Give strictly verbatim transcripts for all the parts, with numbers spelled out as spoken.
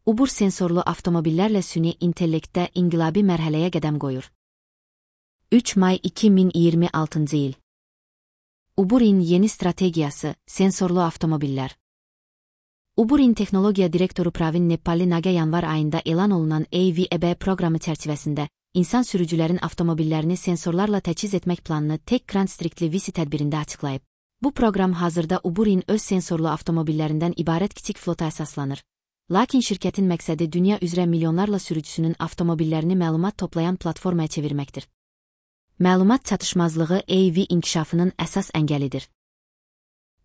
Uber sensorlu avtomobillərlə süni intellektdə inqilabi mərhələyə qədəm qoyur. üç may iki min iyirmi altıncı il. Uber'in yeni strategiyası, sensorlu avtomobillər. Uber'in texnologiya direktoru Pravin Nepali Naga yanvar ayında elan olunan A V E B proqramı çərçivəsində insan sürücülərin avtomobillərini sensorlarla təchiz etmək planını Tech Constrictly Visi tədbirində açıqlayıb. Bu proqram hazırda Uber'in öz sensorlu avtomobillərindən ibarət kiçik flota əsaslanır. Lakin şirkətin məqsədi dünya üzrə milyonlarla sürücüsünün avtomobillərini məlumat toplayan platformaya çevirməkdir. Məlumat çatışmazlığı A V inkişafının əsas əngəlidir.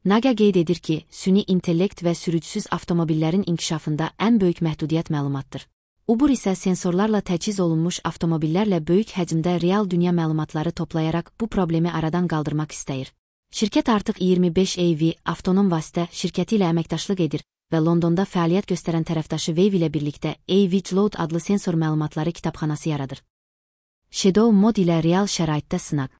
Naga qeyd edir ki, süni intellekt və sürücüsüz avtomobillərin inkişafında ən böyük məhdudiyyət məlumatdır. Uber isə sensorlarla təchiz olunmuş avtomobillərlə böyük həcmdə real dünya məlumatları toplayaraq bu problemi aradan qaldırmaq istəyir. Şirkət artıq iyirmi beş A V avtonom vasitə şirkəti ilə əməkdaşlıq edir və Londonda fəaliyyət göstərən tərəfdaşı Wave ilə birlikdə A V Load adlı sensor məlumatları kitabxanası yaradır. Shadow mod ilə real şəraitdə sınaq.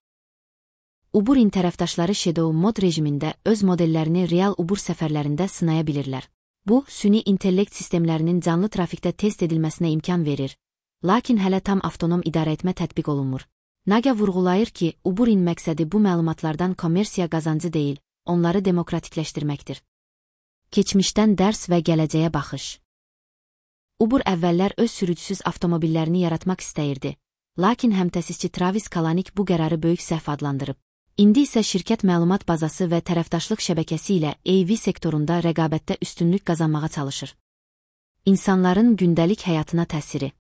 Uber'in tərəfdaşları Shadow mod rejimində öz modellərini real Uber səfərlərində sınaya bilirlər. Bu, süni intellekt sistemlərinin canlı trafikdə test edilməsinə imkan verir, lakin hələ tam avtonom idarəetmə tətbiq olunmur. Naga vurğulayır ki, Uber'in məqsədi bu məlumatlardan kommersiya qazancı deyil, onları demokratikləşdirməkdir. Keçmişdən dərs və gələcəyə baxış. Uber əvvəllər öz sürücüsüz avtomobillərini yaratmaq istəyirdi, lakin həmtəsisçi Travis Kalanick bu qərarı böyük səhv adlandırıb. İndi isə şirkət məlumat bazası və tərəfdaşlıq şəbəkəsi ilə A V sektorunda rəqabətdə üstünlük qazanmağa çalışır. İnsanların gündəlik həyatına təsiri.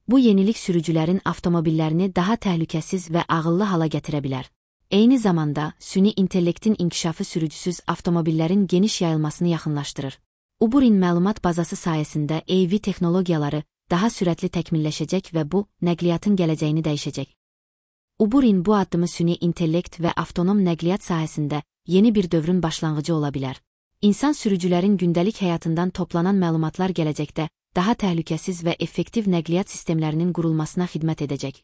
Bu yenilik sürücülərin avtomobillərini daha təhlükəsiz və ağıllı hala gətirə bilər. Eyni zamanda, süni intellektin inkişafı sürücüsüz avtomobillərin geniş yayılmasını yaxınlaşdırır. Uber'in məlumat bazası sayəsində A V texnologiyaları daha sürətli təkmilləşəcək və bu, nəqliyyatın gələcəyini dəyişəcək. Uber'in bu addımı süni intellekt və avtonom nəqliyyat sahəsində yeni bir dövrün başlanğıcı ola bilər. İnsan sürücülərin gündəlik həyatından toplanan məlumatlar gələcəkdə daha təhlükəsiz və effektiv nəqliyyat sistemlərinin qurulmasına xidmət edəcək.